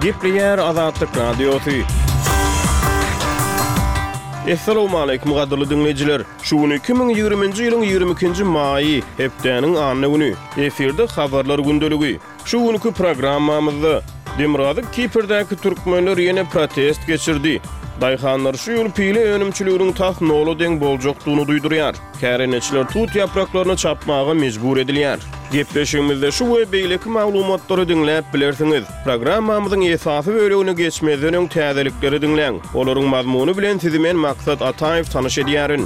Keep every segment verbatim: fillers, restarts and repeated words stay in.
Gepleýär Azatlyk Radiosy. Essalawmaleýkim gadyrly diňleýjiler! Şu gün iki müň ýigriminji ýylyň ýigrimi ikinji maýy, hepdäniň anna güni. Efirde Habarlar gündeligi. Şu günki programmamyzda, Demirgazyk Kiprdäki türkmenler ýene protest geçirdi. Daýhanlar şu ýyl pile önümçiliginiň tas nola deň boljakdygyny duýdurýar. Kärendeçiler tut ýapraklaryny çapmaga mejbur edilýär. Gepleşigimizde şu we beýleki maglumatlary diňläp bilersiňiz. Programmamyzyň esasy bölegine geçmezden öň täzelikleri diňläň. Olaryň mazmuny bilen sizi men Maksat Ataýew tanyş edýärin.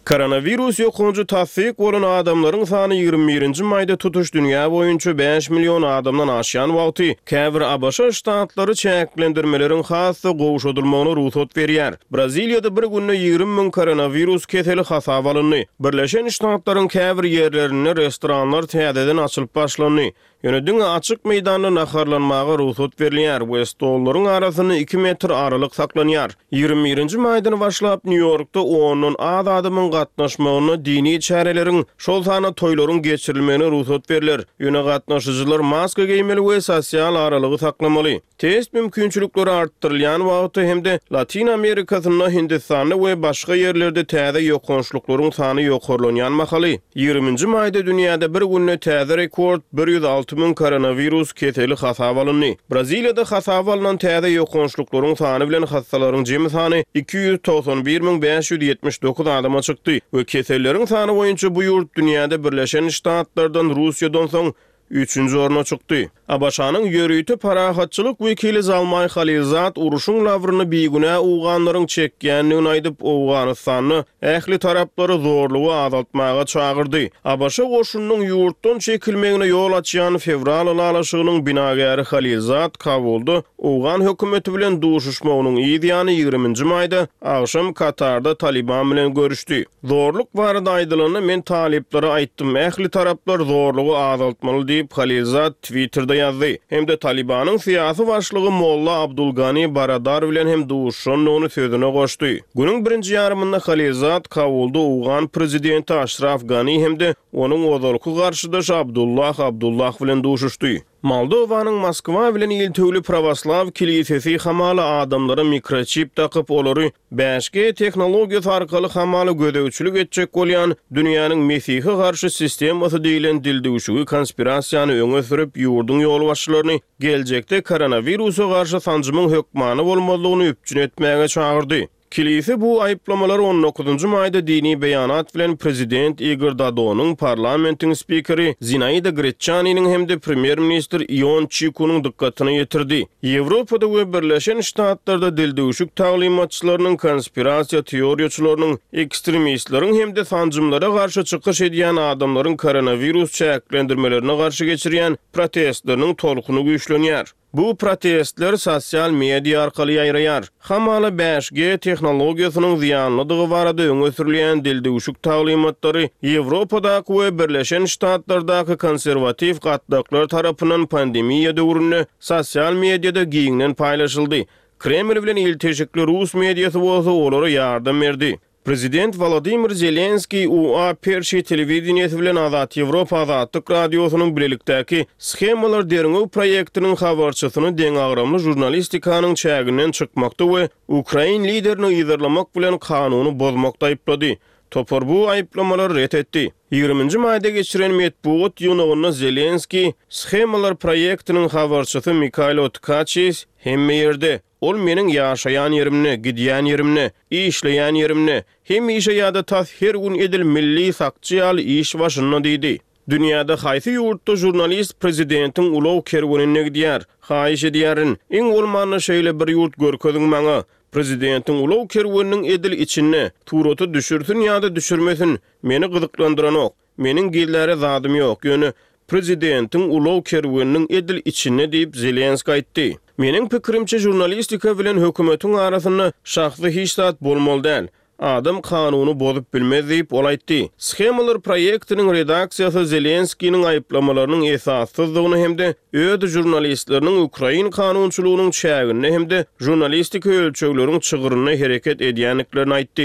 Koronawirus ýokanjy tassyk bolan adamlaryň sany ýigrimi birinji maýda tutuş dünýä boýunça bäş million adamdan aşýan wagty, käbir ABŞ ştatlary çäklendirmeleriň has-da gowşadylmagyna rugsat berýär. Braziliýada bir günde ýigrimi müň koronawirus keseli hasaba alyndy. Birleşen Ştatlaryň käbir ýerlerinde restoranlar täzeden açylyp başlandy. Ýöne diňe açyk meýdanda naharlanmaga rugsat berilýär we stollaryň arasynda iki metr aralyk saklanýar. Ýigrimi birinji maýdan başlap Nýu-Ýorkda ondan az adamyň gatnaşmagynda dini çäreleriň, şol sanda toýlaryň geçirilmegine rugsat berler. Ýöne gatnaşyjylar maska geýmeli we sosial aralygy saklamaly. Test mümkinçilikleri artdyrylýan wagty hem-de Latyn Amerikasynda, Hindistanda we başga ýerlerde täze ýokançlyklaryň sany ýokarlanýan mahaly, ýigriminji maýda dünýäde bir günde täze rekord, bir ýüz alty müň koronawirus keseli hasaba alyndy. Braziliýada hasaba alnan täze ýokançlyklaryň sany bilen hassalaryň jemi sany iki ýüz togsan bir müň bäş ýüz ýetmiş dokuz adama çykdy we keselleriň sany boýunça bu ýurt dünýäde Birleşen Ştatlardan, Russiýadan soň üçünji orna çykdy. ABŞ-nyň ýörite parahatçylyk wekili Zalmaý Halilzad urşuň labryny bigünä owganlaryň çekýändigini aýdyp, Owganystanda ähli taraplary zorlugy azaltmaga çagyrdy. ABŞ goşunynyň ýurtdan çekilmegine ýol açýan fewral ylalaşygynyň binagäri Halilzad Kabulda owgan hökümeti bilen duşuşmagynyň yz ýany ýigriminji maýda agşam Katarda Talyban bilen görüşdi. Zorluk barada aýdylanda, men talyplara aýtdym, ähli taraplar zorlugy azaltmaly diýip, Halilzad Twitterde ýazdy. Hem-de Talybanyň syýasy başlygy Molla Abdul Gani Baradar bilen hem duşuşandygyny sözüne goşdy. Günüň birinji ýarymynda Halilzad Kabulda owgan prezidenti Aşraf Gani hem-de onuň ozalky garşydaşy Abdullah Abdullah bilen duşuşdy. Moldowanyň Moskwa bilen iltewli prawoslaw kilisesi hamala adamlara mikroçip dakyp, olary bäş G tehnologiýasy arkaly hamala gözegçilik etjek bolýan dünýäniň mesihe garşy sistemasy diýlen dildüwşügi konspirasiýany öňe sürüp, ýurduň ýolbaşçylaryny geljekde koronawirusa garşy sanjymyň hökmany bolmazlygyny üpjün etmäge çagyrdy. Kilise bu aýyplamalary on dokuzynjy maýda dini beýanat bilen prezident Igor Dodonyň, parlamentiň spikeri Zinaida Greçaniniň hem-de premýer-ministr Ion Çikunyň dykgatyna ýetirdi. Ýewropada we Birleşen Ştatlarda dildüwşük taglymatçylarynyň, konspirasiýa teoriýaçylarynyň, ekstremistleriň hem-de sanjymlara garşy çykyş edýän adamlaryň koronawirus çäklendirmelerine garşy geçirýän protestleriniň tolkuny güýçlenýär. Bu protestler sosial media arkaly ýaýraýar. Hamala bäş G tehnologiýasynyň zyýanlydygy barada öňe sürülýän dildüwşük taglymatlary Ýewropadaky we Birleşen Ştatlardaky konserwatiw gatlaklar tarapyndan pandemiýa döwründe sosial mediada giňden paýlaşyldy. Kreml bilen ilteşikli rus mediasy bolsa olara ýardam berdi. Prezident Wolodymyr Zelenskiý U A Perşi telewideniýesi bilen Azat Ýewropa Azatlyk Radiosynyň bilelikdäki Shemalar derňew proýektiniň habarçysyny deňagramly žurnalistikanyň çäginden çykmakda we ukrain liderini yzarlamak bilen kanuny bozmakda aýyplady. Topar bu aýyplamalary ret etdi. Ýigriminji maýda geçiren metbugat ýygnagynda Zelenskiý Shemalar proýektiniň habarçysy Mikaýlo Tkaçis hemme ýerde, Ol meniň ýaşaýan ýerimde, gidýän ýerimde, işleýän ýerimde, hemişe ýa-da tas her gün edil milli sakçy ýaly iş başynda diýdi. Dünýäde haýsy ýurtda žurnalist prezidentiň ulag kerweninde gidýär? Haýyş edýärin, iň bolmanda şeýle bir ýurt görkeziň maňa. Prezidentiň ulag kerweniniň edil içinde, surata düşürsin ýa-da düşürmesin, meni gyzyklandyranok. Meniň gizläre zadym ýok, ýöne prezidentiň ulag kerweniniň edil içinde diýip, Zelenskiý aýtdy. Meniň pikirimçe, žurnalistika bilen hökümetiň arasynda şahsy hiç zat bolmaly däl. Adam kanuny bozup bilmez diýip, ol aýtdy. Shemalar proýektiniň redaksiýasy Zelenskiniň aýyplamalarynyň esassyzdygyny hem-de öz žurnalistleriniň ukrain kanunçylygynyň çäginde hem-de žurnalistiki ölçegleriň çygrynda hereket edýändiklerini aýtdy.